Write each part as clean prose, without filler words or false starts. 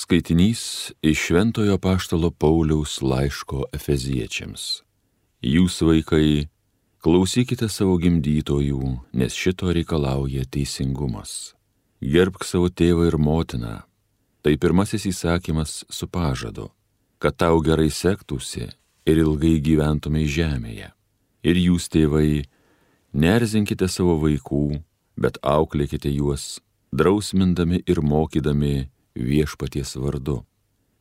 Skaitinys iš Šventojo apaštalo Pauliaus laiško Efeziečiams. Jūs, vaikai, klausykite savo gimdytojų, nes šito reikalauja teisingumas. Gerbk savo tėvą ir motiną. Tai pirmasis įsakymas su pažadu, kad tau gerai sektųsi ir ilgai gyventumei žemėje. Ir jūs, tėvai, neerzinkite savo vaikų, bet auklėkite juos, drausmindami ir mokydami Viešpaties vardu.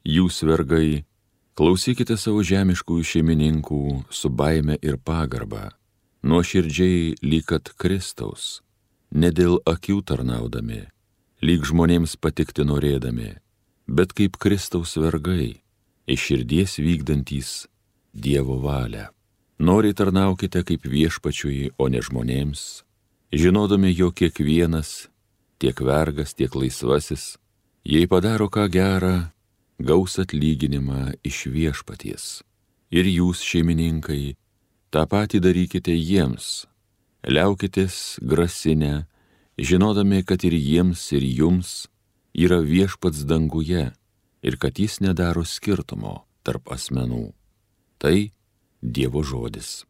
Jūs, vergai, klausykite savo žemiškųjų šeimininkų su baime ir pagarba, nuoširdžiai lyg kad Kristaus, ne dėl akių tarnaudami, lyg žmonėms patikti norėdami, bet kaip Kristaus vergai, iš širdies vykdantys Dievo valią. Noriai tarnaukite kaip Viešpačiui, o ne žmonėms, žinodami, jog kiekvienas, tiek vergas, tiek laisvasis, jei padaro ką gerą, gaus atlyginimą iš Viešpaties. Ir jūs, šeimininkai, tą patį darykite jiems, liaukitės grasinę, žinodami, kad ir jiems, ir jums yra Viešpats danguje ir kad jis nedaro skirtumo tarp asmenų. Tai Dievo žodis.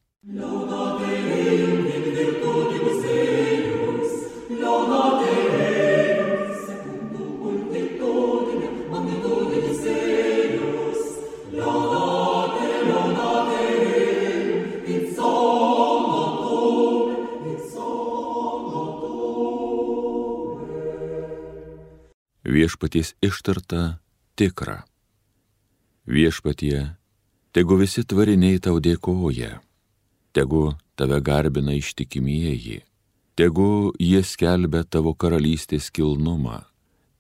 Viešpaties ištarta tikra. Viešpatie, tegu visi tvariniai tau dėkoja, tegu tave garbina ištikimieji, tegu jie skelbia tavo karalystės kilnumą,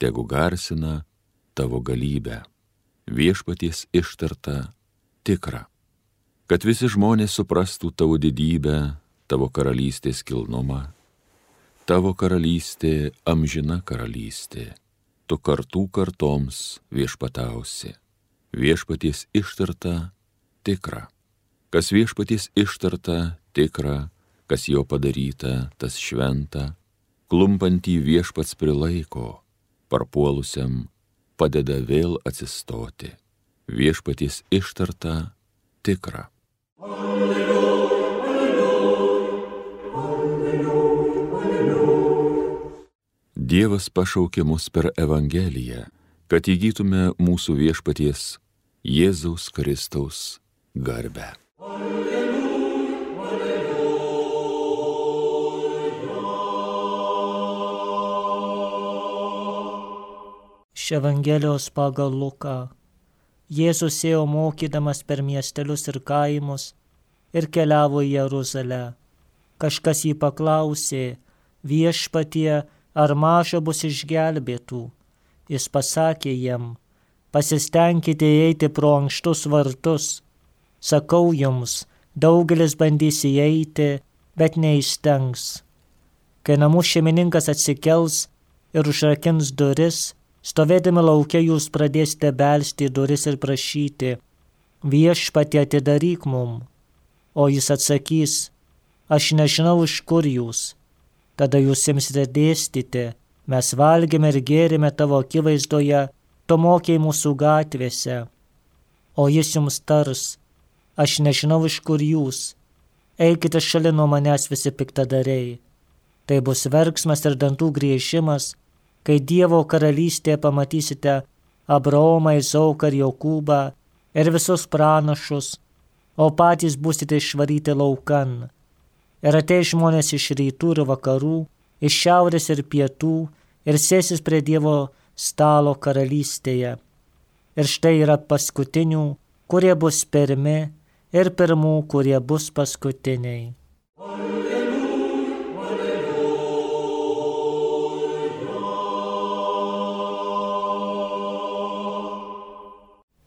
tegu garsina tavo galybę. Viešpaties ištarta tikra. Kad visi žmonės suprastų tavo didybę, tavo karalystės kilnumą, tavo karalystė amžina karalystė. Tu kartų kartoms viešpatausi. Viešpaties ištarta tikra. Kas viešpaties ištarta tikra, kas jo padaryta, tas šventa, klumpantį viešpats prilaiko, parpuolusiam padeda vėl atsistoti. Viešpaties ištarta tikra. Dievas pašaukė mus per Evangeliją, kad įgytume mūsų Viešpaties Jėzaus Kristaus garbę. Iš Evangelijos pagal Luką. Jėzus ėjo mokydamas per miestelius ir kaimus ir keliavo į Jeruzalę. Kažkas jį paklausė: Viešpatie, ar maža bus išgelbėtų? Jis pasakė jiem: pasistengkite įeiti pro ankštus vartus. Sakau jums, daugelis bandys įeiti, bet neįstengs. Kai namų šeimininkas atsikels ir užrakins duris, stovėdami lauke jūs pradėsite belsti į duris ir prašyti: Viešpatie, atidaryk mum. O jis atsakys: aš nežinau, iš kur jūs. Tada jūs imsite dėstyti: mes valgėme ir gėrėme tavo akivaizdoje, tu mokei mūsų gatvėse. O jis jums tars: aš nežinau, iš kur jūs. Eikite šalin nuo manęs, visi piktadariai. Tai bus verksmas ir dantų griežimas, kai Dievo karalystėje pamatysite Abraomą, Izaoką ir Jokūbą ir visus pranašus, o patys būsite išvaryti laukan. Ir ateis žmonės iš rytų ir vakarų, iš šiaurės ir pietų, ir sėsis prie Dievo stalo karalystėje. Ir štai yra paskutinių, kurie bus pirmi, ir pirmų, kurie bus paskutiniai.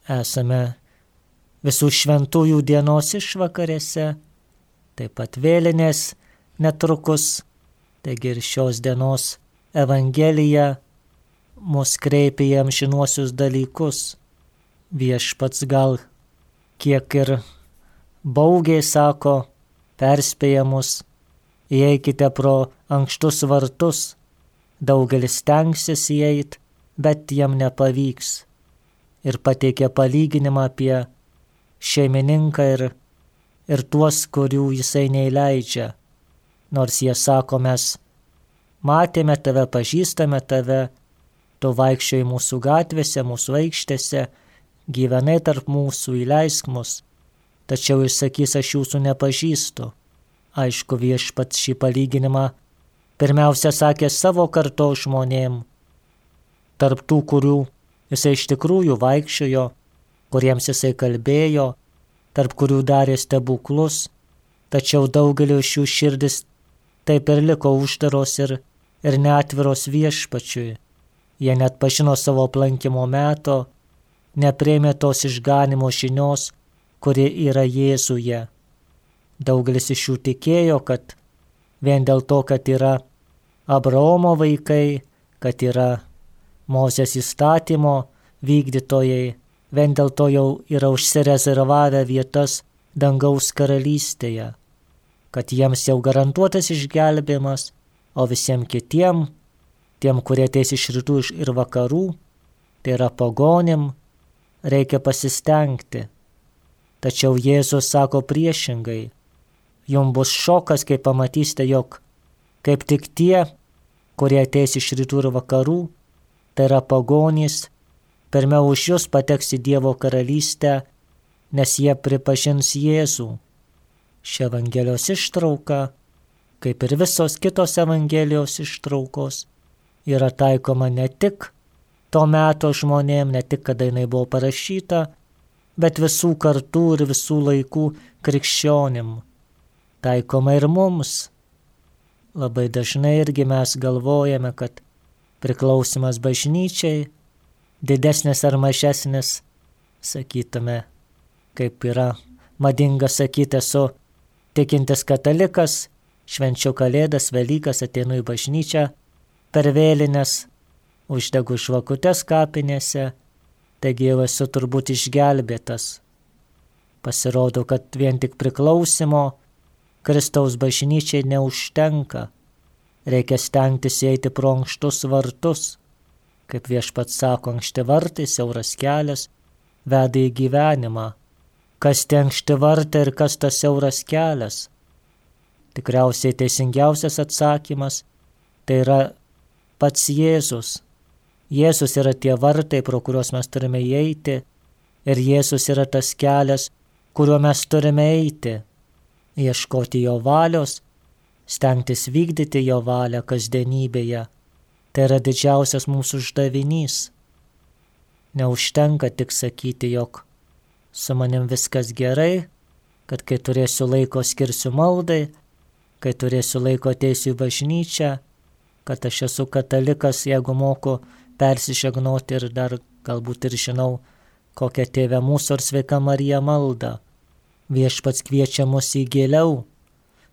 Esame visų šventųjų dienos išvakarėse, taip pat vėlinės netrukus, taigi ir šios dienos Evangelija mus kreipia į amžinuosius dalykus. Viešpats gal kiek ir baugiai sako, perspėja mus: įeikite pro ankštus vartus. Daugelis stengsis įeit, bet jam nepavyks. ir pateikė palyginimą apie šeimininką ir tuos, kurių jisai neįleidžia. Nors jie sako, mes matėme tave, pažįstame tave, tu vaikščiojai mūsų gatvėse, mūsų aikštėse, gyvenai tarp mūsų, įleisk mus. Tačiau jis sakys, aš jūsų nepažįstu. Aišku, viešpats šį palyginimą pirmiausia sakė savo kartos žmonėm, tarp tų, kurių jisai iš tikrųjų vaikščiojo, kuriems jisai kalbėjo, tarp kurių darė stebuklus, tačiau daugelio iš jų širdis taip ir liko uždaros ir neatviros viešpačiui. Jie net pažino savo aplankimo meto, nepriėmė tos išganimo žinios, kuri yra Jėzuje. Daugelis iš jų tikėjo, kad vien dėl to, kad yra Abraomo vaikai, kad yra Mozės įstatymo vykdytojai, vien dėl to jau yra užsirezervavę vietas dangaus karalystėje, kad jiems jau garantuotas išgelbėjimas, o visiems kitiem, tiem, kurie ateis iš rytų ir vakarų, tai yra pagonim, reikia pasistengti. Tačiau Jėzus sako priešingai, jums bus šokas, kai pamatysite, jog kaip tik tie, kurie ateis iš rytų ir vakarų, tai yra pagonys, pirmiau už jūs pateks į Dievo karalystę, nes jie pripažins Jėzų. Ši Evangelijos ištrauka, kaip ir visos kitos Evangelijos ištraukos, yra taikoma ne tik to meto žmonėm, ne tik kada jinai buvo parašyta, bet visų kartų ir visų laikų krikščionim. Taikoma ir mums. Labai dažnai irgi mes galvojame, kad priklausimas bažnyčiai didesnis ar mažesnis, sakytume, kaip yra madinga sakyti, esu tikintis katalikas, švenčiu Kalėdas, Velykas, ateinu į bažnyčią per vėlines, uždegu žvakutes kapinėse, taigi jau esu turbūt išgelbėtas. Pasirodo, kad vien tik priklausimo Kristaus bažnyčiai neužtenka. Reikia stengtis eiti pro ankštus vartus. Kaip viešpats sako, ankšti vartai, siauras kelias veda į gyvenimą. Kas tie ankšti vartai ir kas tas siauras kelias? Tikriausiai teisingiausias atsakymas tai yra pats Jėzus. Jėzus yra tie vartai, pro kuriuos mes turime įeiti, ir Jėzus yra tas kelias, kuriuo mes turime eiti, ieškoti jo valios, stengtis vykdyti jo valią kasdienybėje. Tai yra didžiausias mūsų uždavinys. Neužtenka tik sakyti, jog su manim viskas gerai, kad kai turėsiu laiko skirsiu maldai, kai turėsiu laiko ateisiu į bažnyčią, kad aš esu katalikas, jeigu moku persižegnoti ir dar galbūt ir žinau kokią Tėvę mūsų ar Sveika Marija maldą. Viešpats kviečia mus į giliau,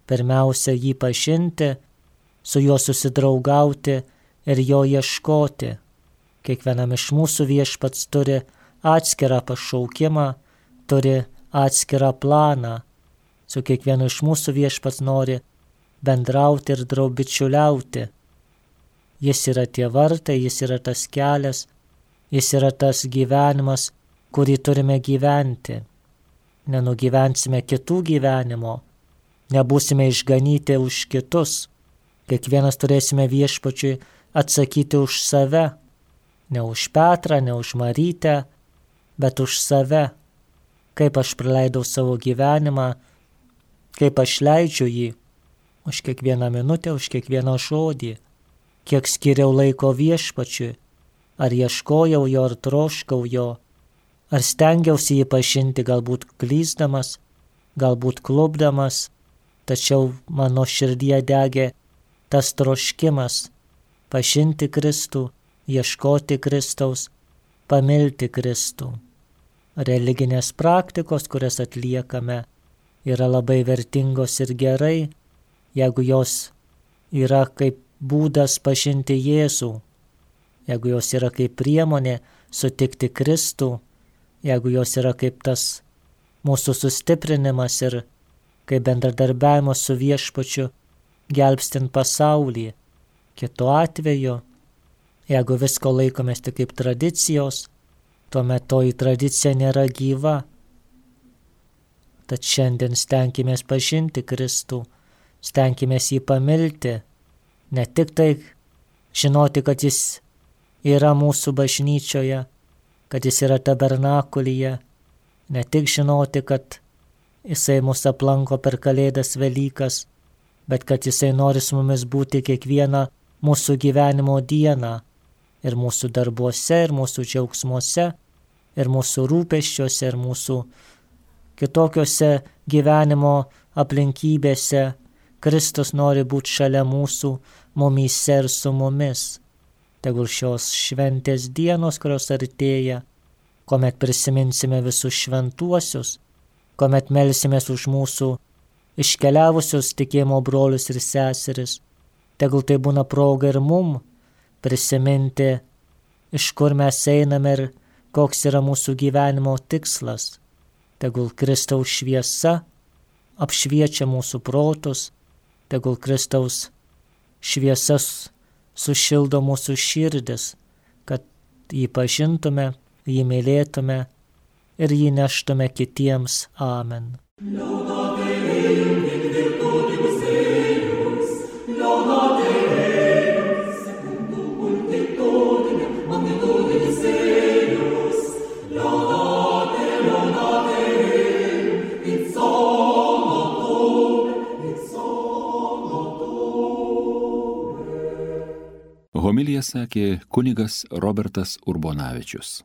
pirmiausia jį pažinti, su juo susidraugauti ir jo ieškoti. Kiekvienam iš mūsų viešpats turi atskirą pašaukimą, turi atskirą planą. Su kiekvienu iš mūsų viešpats nori bendrauti ir bičiuliauti. Jis yra tie vartai, jis yra tas kelias, jis yra tas gyvenimas, kurį turime gyventi. Nenugyvensime kitų gyvenimo, nebūsime išganyti už kitus. Kiekvienas turėsime viešpačiui atsakyti už save, ne už Petrą, ne už Marytę, bet už save. Kaip aš praleidau savo gyvenimą, kaip aš leidžiu jį, už kiekvieną minutę, už kiekvieną žodį, kiek skiriau laiko viešpačiui, ar ieškojau jo, ar troškau jo, ar stengiausi jį pažinti, galbūt klysdamas, galbūt klupdamas, tačiau mano širdyje degė tas troškimas pažinti Kristų, ieškoti Kristaus, pamilti Kristų. Religinės praktikos, kurias atliekame, yra labai vertingos ir gerai, jeigu jos yra kaip būdas pažinti Jėzų, jeigu jos yra kaip priemonė sutikti Kristų, jeigu jos yra kaip tas mūsų sustiprinimas ir kaip bendradarbiavimas su viešpačiu gelbstint pasaulį. Kitu atveju, jeigu visko laikomės tik kaip tradicijos, tuomet toji tradicija nėra gyva. Tad šiandien stenkimės pažinti Kristų, stenkimės jį pamilti, ne tik tai žinoti, kad jis yra mūsų bažnyčioje, kad jis yra tabernakulyje, ne tik žinoti, kad jisai mus aplanko per Kalėdas Velykas, bet kad jisai nori su mumis būti kiekvieną mūsų gyvenimo dieną, ir mūsų darbuose, ir mūsų džiaugsmuose, ir mūsų rūpesčiuose, ir mūsų kitokiose gyvenimo aplinkybėse. Kristus nori būti šalia mūsų, mumyse ir su mumis. Tegul šios šventės dienos, kurios artėja, kuomet prisiminsime visus šventuosius, kuomet melsimės už mūsų iškeliavusius tikėjimo brolius ir seseris, tegul tai būna proga ir mum prisiminti, iš kur mes einame ir koks yra mūsų gyvenimo tikslas. Tegul Kristaus šviesa apšviečia mūsų protus, tegul Kristaus šviesas sušildo mūsų širdis, kad jį pažintume, jį mylėtume ir jį neštume kitiems. Amen. Homiliją sakė kunigas Robertas Urbonavičius.